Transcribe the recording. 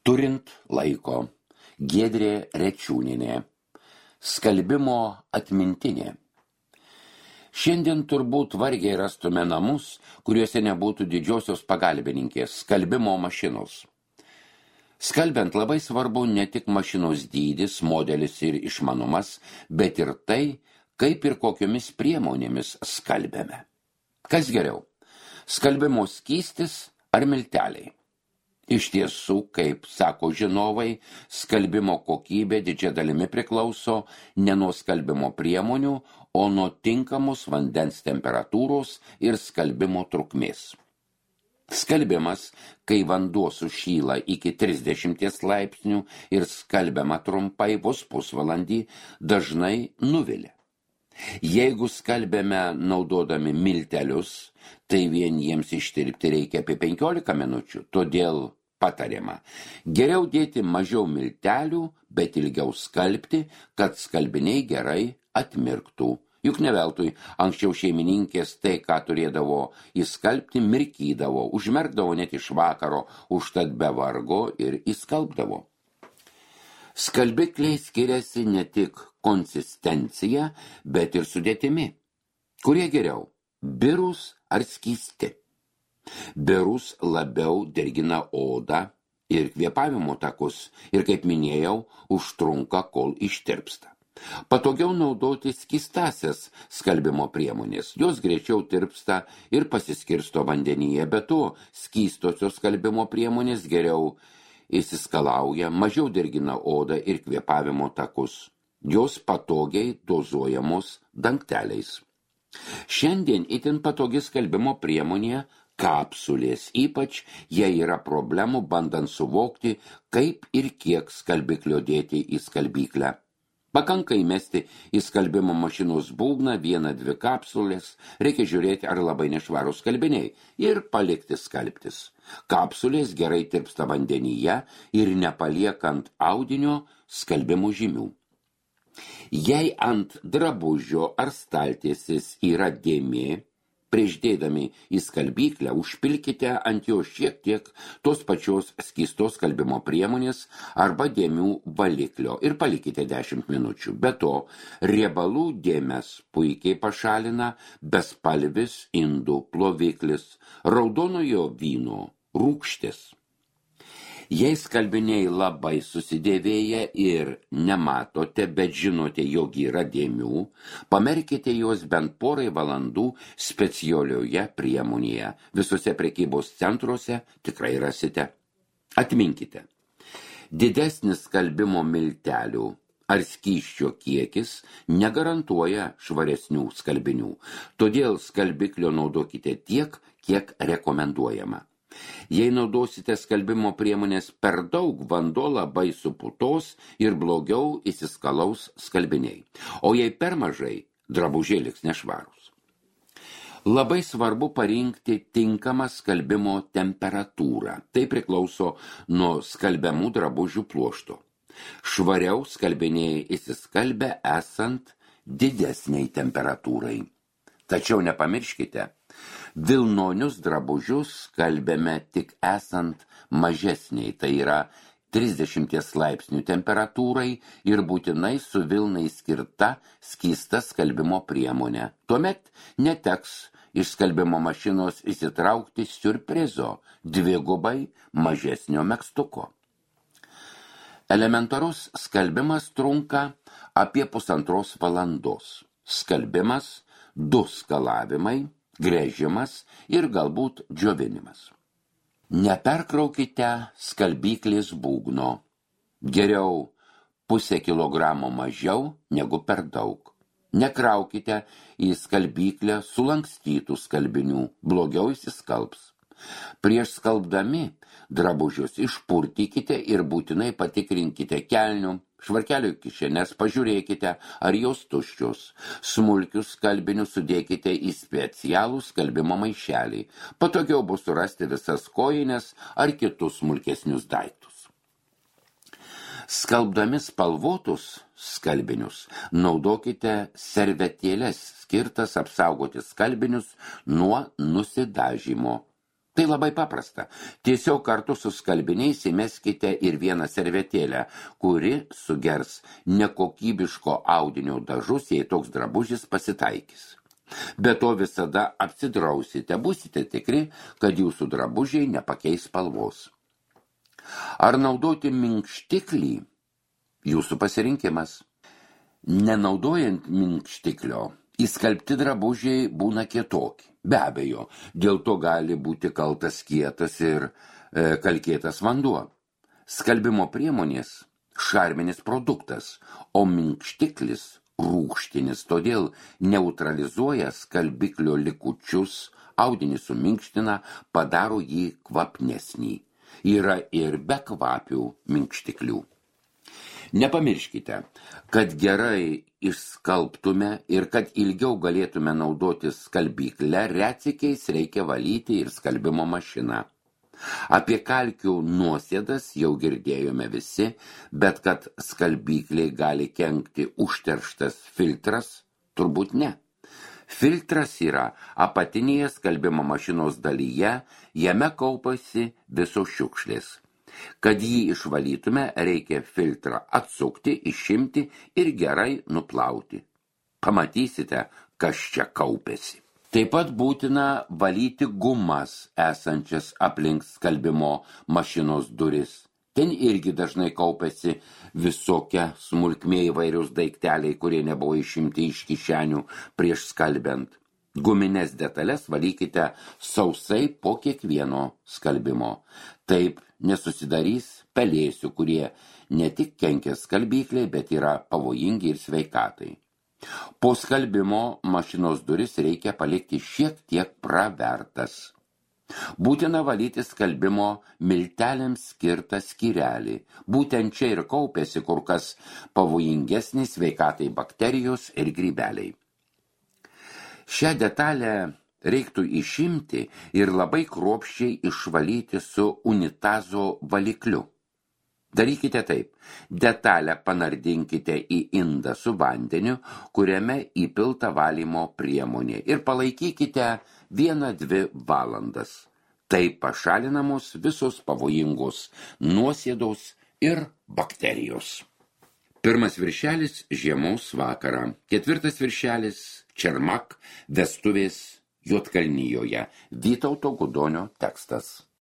Turint laiko. Giedrė Rečiūnienė. Skalbimo atmintinė. Šiandien turbūt vargiai rastume namus, kuriuose nebūtų didžiosios pagalbininkės skalbimo mašinos. Skalbiant labai svarbu ne tik mašinos dydis, modelis ir išmanumas, bet ir tai, kaip ir kokiomis priemonėmis skalbiame. Kas geriau? Skalbimo skystis ar milteliai? Iš tiesų, kaip sako žinovai, skalbimo kokybė didžia dalimi priklauso ne nuo skalbimo priemonių, o nuo tinkamos vandens temperatūros ir skalbimo trukmės. Skalbimas, kai vanduo sušyla iki 30 laipsnių ir skalbiama trumpai vos pusvalandį, dažnai nuvilia. Jeigu skalbėme naudodami miltelius, tai vien jiems ištirpti reikia apie 15 minučių, todėl patariama geriau dėti mažiau miltelių, bet ilgiau skalbti, kad skalbiniai gerai atmirktų. Juk ne veltui anksčiau šeimininkės tai, ką turėdavo įskalbti, mirkydavo, užmerkdavo net iš vakaro, užtat be vargo ir įskalbdavo. Skalbikliai skiriasi ne tik konsistencija, bet ir sudėtimi. Kurie geriau, birūs ar skysti? Birūs labiau dirgina odą ir kvėpavimo takus ir, kaip minėjau, užtrunka, kol ištirpsta. Patogiau naudoti skystasias skalbimo priemonės. Jos greičiau tirpsta ir pasiskirsto vandenyje, bet to skystosios skalbimo priemonės geriau įsiskalauja, mažiau dirgina odą ir kvėpavimo takus. Jos patogiai dozuojamos dangteliais. Šiandien itin patogi skalbimo priemonė kapsulės, ypač jei yra problemų bandant suvokti, kaip ir kiek skalbiklio dėti į skalbyklę. Pakanka įmesti į skalbimo mašinos būgną 1-2 kapsulės, reikia žiūrėti, ar labai nešvarūs skalbiniai ir palikti skalbtis. Kapsulės gerai tirpsta vandenyje ir nepaliekant audinio skalbimo žymių. Jei ant drabužio ar staltiesės yra dėmė, prieš dėdami į skalbyklę užpilkite ant jo šiek tiek tos pačios skystos skalbimo priemonės arba dėmių valiklio ir palikite 10 minučių. Be to, riebalų dėmes puikiai pašalina bespalvis indų ploviklis, raudonojo vyno rūgštis. Jei skalbiniai labai susidėvėję ir nematote, bet žinote, jog yra dėmių, pamerkite juos bent porai valandų specialioje priemonėje. Visose prekybos centruose tikrai rasite. Atminkite, didesnis skalbimo miltelių ar skysčio kiekis negarantuoja švaresnių skalbinių, todėl skalbiklio naudokite tiek, kiek rekomenduojama. Jei naudosite skalbimo priemonės per daug, vanduo labai suputos ir blogiau įsiskalaus skalbiniai. O jei per mažai, drabužiai liks nešvarūs. Labai svarbu parinkti tinkamą skalbimo temperatūrą. Tai priklauso nuo skalbiamų drabužių pluošto. Švariau skalbiniai įsiskalbia esant didesniai temperatūrai. Tačiau nepamirškite, vilnonius drabužius skalbėme tik esant mažesniai, tai yra 30 laipsnių temperatūrai ir būtinai su vilnai skirta skysta skalbimo priemonė. Tuomet neteks iš skalbimo mašinos įsitraukti siurprizo, 2 mažesnio megztuko. Elementarus skalbimas trunka apie 1,5 valandos. Skalbimas, 2 skalavimai, gręžimas ir galbūt džiovinimas. Neperkraukite skalbyklės būgno. Geriau 0,5 kilogramo mažiau negu per daug. Nekraukite į skalbyklę sulankstytų skalbinių, blogiau įsiskalbs. Prieš skalbdami drabužius išpurtykite ir būtinai patikrinkite kelnių, švarkelio kišenes, pažiūrėkite, ar jos tuščios. Smulkius skalbinius sudėkite į specialų skalbimo maišelį. Patogiau bus surasti visas kojines ar kitus smulkesnius daiktus. Skalbdami spalvotus skalbinius naudokite servetėles skirtas apsaugoti skalbinius nuo nusidažymo. Tai labai paprasta. Tiesiog kartu su skalbiniais įmeskite ir vieną servetėlę, kuri sugers nekokybiško audinio dažus, jei toks drabužis pasitaikys. Be to visada apsidrausite, būsite tikri, kad jūsų drabužiai nepakeis spalvos. Ar naudoti minkštiklį? Jūsų pasirinkimas. Nenaudojant minkštiklio, įskalbti drabužiai būna kietoki. Be abejo, dėl to gali būti kaltas kietas ir kalkėtas vanduo. Skalbimo priemonės šarminis produktas, o minkštiklis rūgštinis, todėl neutralizuoja skalbiklio likučius, audinį suminkština, padaro jį kvapnesnį. Yra ir bekvapių minkštiklių. Nepamirškite, kad gerai išskalbtume ir kad ilgiau galėtume naudotis skalbyklę, retsykiais reikia valyti ir skalbimo mašiną. Apie kalkių nuosėdas jau girdėjome visi, bet kad skalbykliai gali kenkti užterštas filtras, turbūt ne. Filtras yra apatinėje skalbimo mašinos dalyje, jame kaupasi visos šiukšlės. Kad jį išvalytume, reikia filtrą atsukti, išimti ir gerai nuplauti. Pamatysite, kas čia kaupėsi. Taip pat būtina valyti gumas esančias aplink skalbimo mašinos duris. Ten irgi dažnai kaupėsi visokia smulkmė įvairius daikteliai, kurie nebuvo išimti iš kišenių prieš skalbiant. Gumines detalės valykite sausai po kiekvieno skalbimo. Taip nesusidarys pelėsių, kurie ne tik kenkia skalbyklei, bet yra pavojingi ir sveikatai. Po skalbimo mašinos duris reikia palikti šiek tiek pravertas. Būtina valyti skalbimo milteliams skirtą skyrelį. Būtent čia ir kaupėsi kur kas pavojingesnis sveikatai bakterijos ir grybeliai. Šią detalę reiktų išimti ir labai kruopščiai išvalyti su unitazo valikliu. Darykite taip. Detalę panardinkite į indą su vandeniu, kuriame įpilta valymo priemonė ir palaikykite 1-2 valandas. Taip pašalinamos visos pavojingos nuosėdos ir bakterijos. Pirmas viršelis žiemos vakarą. Ketvirtas viršelis Čermak vestuvės Juodkalnijoje. Vytauto Gudonio tekstas.